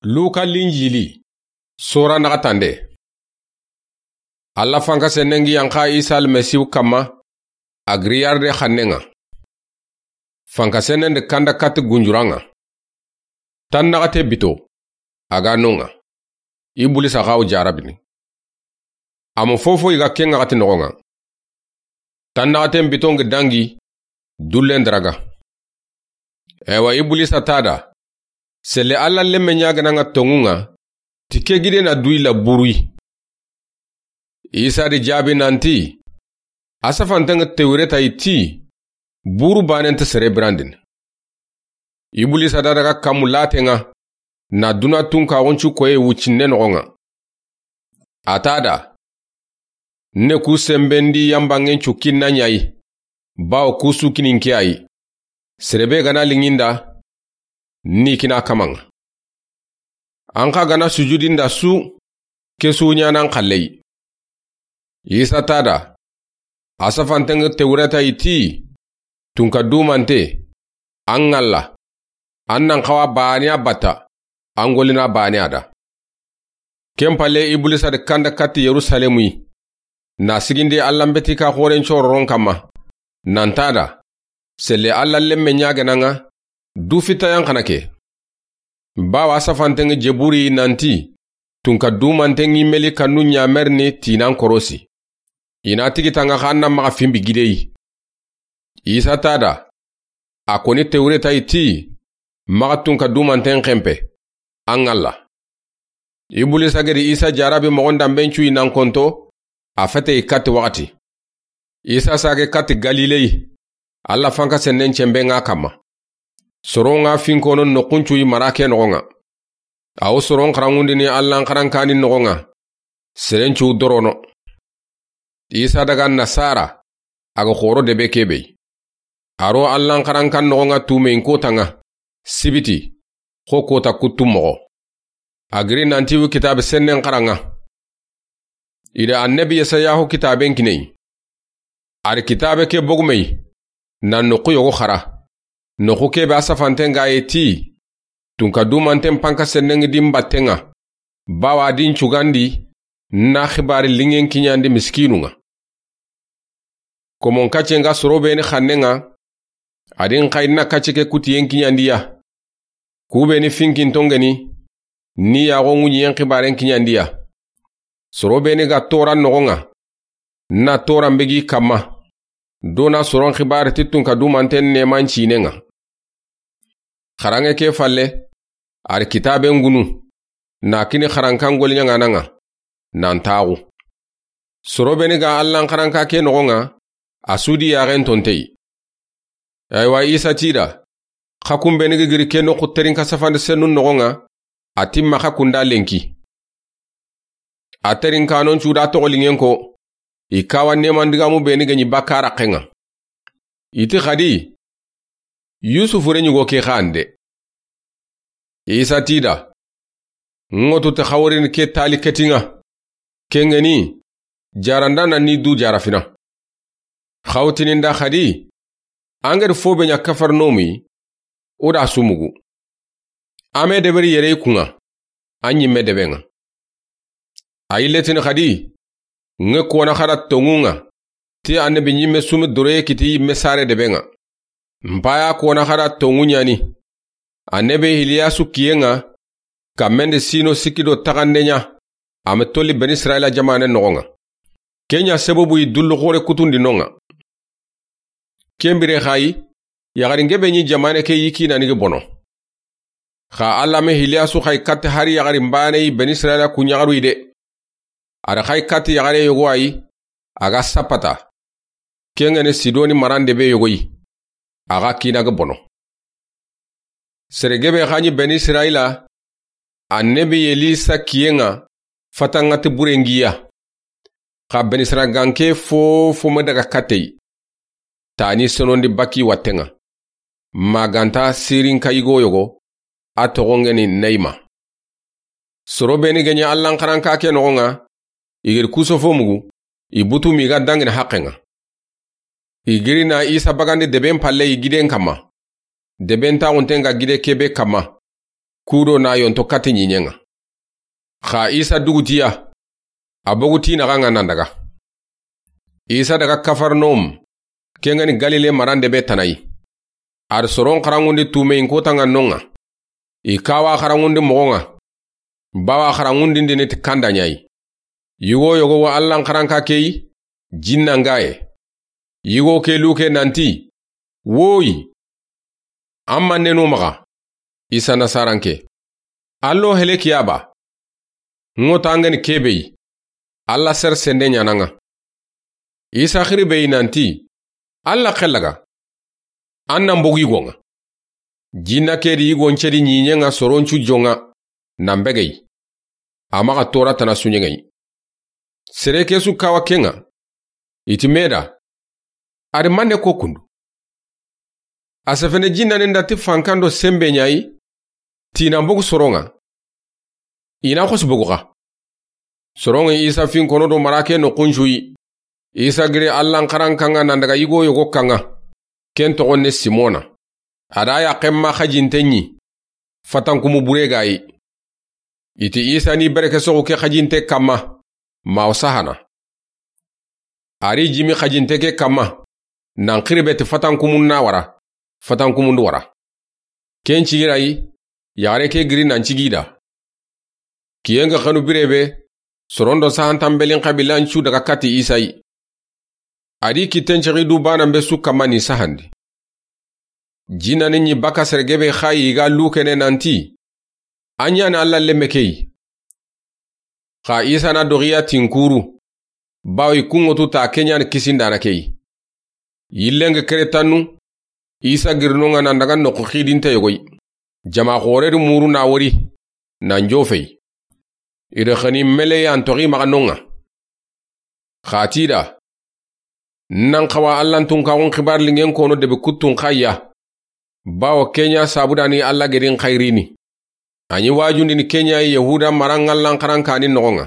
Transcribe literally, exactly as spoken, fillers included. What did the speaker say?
Luka Linjili, sora naxatande. Alla fanka sennengi yanxa Isa Almasihu kamma, a giri yarde xannen ŋa. Fanka sennen di kanda katti gunjuran ŋa. Tan naxate bito, a ga no ŋa. Ibulisa xa wo jarabini. A ma fofo yiga ken ŋa xati noxon ŋa. Tan naxaten biton gi dangi, dullen daraga. Ewa Ibulisa ta da, selle Alla lemme ɲagana ŋa tonŋun ŋa, ti ke gide na duyi la buruyi. Isa di jaabi nanti, a safanten ŋa Tewreta yi ti, buru banen ta sere birandin. Ibulisa da daga kamu laten ŋa, na duna tunka woncu koye wuccinne noxon ŋa. A ta da, ne ku sembendi yambangen cukkin na ɲayi, bawo ku su kinin ke ayi. Serebe gana linginda, ni kina kaman ŋa. An xa gana sujudinda su, ke su ɲanan xallei. Isa ta da, a safanten ŋa Tewreta yi ti, tunka dumante, an ŋalla, an nan xawa baane a batta, an golina baane a da. Ken palle Ibulisa di kanda katti Yerusalemu yi, na sigindi Alla mbeti ka xoren cororon kamma, nan ta da, selle Alla lemme ɲagana ŋa, du fitta yan xana ke. Bawa a safanten ŋa jeburi nanti, tunka dumanten ŋi meli kannu ɲamerini tinan korosi. I na tigi tanga xa na maxa fimbi gideyi. Isa ta da, a koni Tewreta yi ti, maxa tunka dumanten xempe, an ŋalla. Ibulisa gedi Isa jarabi moxon danben cuyi nan konto, a fete yi katti waxati. Isa sage katti Galilei, Alla fanka sennen cemben ŋa kamma. Soron ŋa finkono noxun cuyi mara ke noxon ŋa. A wo soron xarangundini Allan xarankani noxon ŋa. Seren cu dorono. Isa daga Nasara, a ga xoro debe kebe yi. A ro Allan xarankan noxon ŋa tumeyin kotan ŋa, sibiti, xo kota kuttu moxo. A giri nanti wi kitabe sennen xaran ŋa. I da annabi Yesayahu kitaben kineyi. A ri kitabe ke bogumey, na noxu yogo xara. Noxu kebe a safanten ga ye ti, tunka dumanten panka sennen ŋi di n batten ŋa. Bawa a di n cugandi, na xibari lingen kiɲandi miskinun ŋa. Komon kacce nga soro beni xannen ŋa, a di n xayi na kacce ke kutiyen kiɲandi ya. Ku beni finkin tongeni, ni yaxo ŋuɲiyen xibaren kiɲandi ya. Soro beni ga toran noxon ŋa, na toran begi kamma. Do na soron xibari ti tunka dumanten neman cinen ŋa. Xaranŋe ke falle, a ri kitaben gunu, na kini xarankan goliɲaŋanan ŋa, nan taxu. Soro beni ga Allan xaranka ke noxon ŋa, a su di yaxen tonteyi. Aywa Isa ti da, xa kun beni gi giri ke noxu terinka safandi sennun noxon ŋa, a ti maxa kunda lenki. A terinkanon cu da toxo lingen ko, i kawa neman digamu beni ga ɲi bakka raxen ŋa. I ti xadi, Yusufu re ɲugo ke xande. Isa ti da, ŋotu te xaworini ke tali ketin ŋa. Kengeni, jaranda na ni du jarafina. Xawtinin da xadi, angeri fo be ɲa Kafarnomi, o da sumugu. Ame deberi yere i kun ŋa, a ɲimme deben ŋa. A yilletini xadi, ŋe kona xada tonŋun ŋa, ti annabi ɲimme sumi doroye kiti yimme sare deben ŋa. N paya kona xada tonŋu ɲani. Annabi Hiliyasu kiyen ŋa, kammen di sino sikki do taxande ɲa, a me tolli Beni Israila jamanen noxon ŋa. Ken ɲa sababu yi dullu xore kutundi non ŋa. Ken bire xayi, yaxarin gebe ɲi jamane ke yi kinani gi bono. Xa Alla me Hiliyasu xayi katti hari yaxarin bane yi Beni Israila ku ɲaxaru yi de. A da xayi katti yaxare yogo ayi, a ga sapata. Kengeni Sidoni marande be yogo yi. A ga kina ga bono. Sere gebe xa ɲi Beni Israila, annabi Elisa kiyen ŋa, fatanŋa ti burengiya. Xa Beni Israila ganke fo fo me daga kateyi. Tani sonondi baki watten ŋa. Maganta sirin kayigo yogo, a toxongeni Neyma. Soro beni ga ɲa Allan xaranka ke noxon ŋa, i giri kusofo mugu, i butu mi ga dangini haqqen ŋa. I giri na Isa bagandi deben palle i giden kamma. Deben taxunten ga gide kebe kamma. kudo na yonto kati ɲiɲen ŋa. Xa Isa duguti ya, a bogu ti naxa ŋa nan daga. Isa daga Kafarnaum, ken ga ni Galile marande be tana yi. A da soron xaranŋundi tumeyin kota ŋa non ŋa. I kawa xaranŋundi moxon ŋa. Bawa xaranŋundindini ti kanda ɲa yi. Yigo yogo wa Allan xaranka ke yi, jinna ŋa ye. Yigo ke luke nanti, woyi. An ma nenu maxa, Isa Nasaranke. Allo helekiya ba. Ŋo tangeni ke be yi. Alla ser sende ɲana ŋa. Isa xiri be yi nanti, Alla xellaga. An nan bogu yigo ŋa. Jinna ke di yigo ncedi ɲiɲen ŋa soron cu jon ŋa, nan bege yi. A maxa tora tana suɲen ŋa yi. Sere ke su kawa ken ŋa. I ti me da. A di manne ko kundu. A sefene jinnanin da ti fankan do senbe ɲa yi, ti nan bogu soron ŋa. I na xosi bogu xa. Soron ŋa Isa fin kono do marake noxun cu yi. Isa giri Allan xarankan ŋa nan daga yigo yogo kan ŋa. Ken toxon ne Simona. A da yaxen ma xajinte ɲi. Fatankumu bure ga yi. I ti Isa ni bereke soxu ke xajinte kanma, ma o sahana. A ri jimi xajinte ke kanma, nan xiri be ti fatankumun na wara, fatankumundu wara. Ken cigi ra yi, yaxare ke giri nan cigi da. Kiyen ga xanu bire be, soron do sahantan belin xabilan cu daga kati Isa yi. A di kitten cexi du banan be su kanma ni sahandi. Jinnanin ɲi baka sere gebe xa yi ga lukene nanti, an ɲa ni Alla lemme ke yi. Xa Isa na doxiya tinkuru, bawo i kunŋotu ta ke ɲa ni kisindana ke yi. Yillen ga kere tannu, Isa girinon ŋa nan daga noxu xidinte yogo yi. Jama xore di muru na wori, nan jofe yi. I da xani meleyan toxi maxa non ŋa. Xa ti da, nan xawa Allan tunkaxun xibar lingen kono debe kuttun xa ya. Bawo ke ɲa sabudani Alla gedin xayrini. A ɲi wajundini ke ɲa yi Yahuda maran Allan xarankanin noxon ŋa.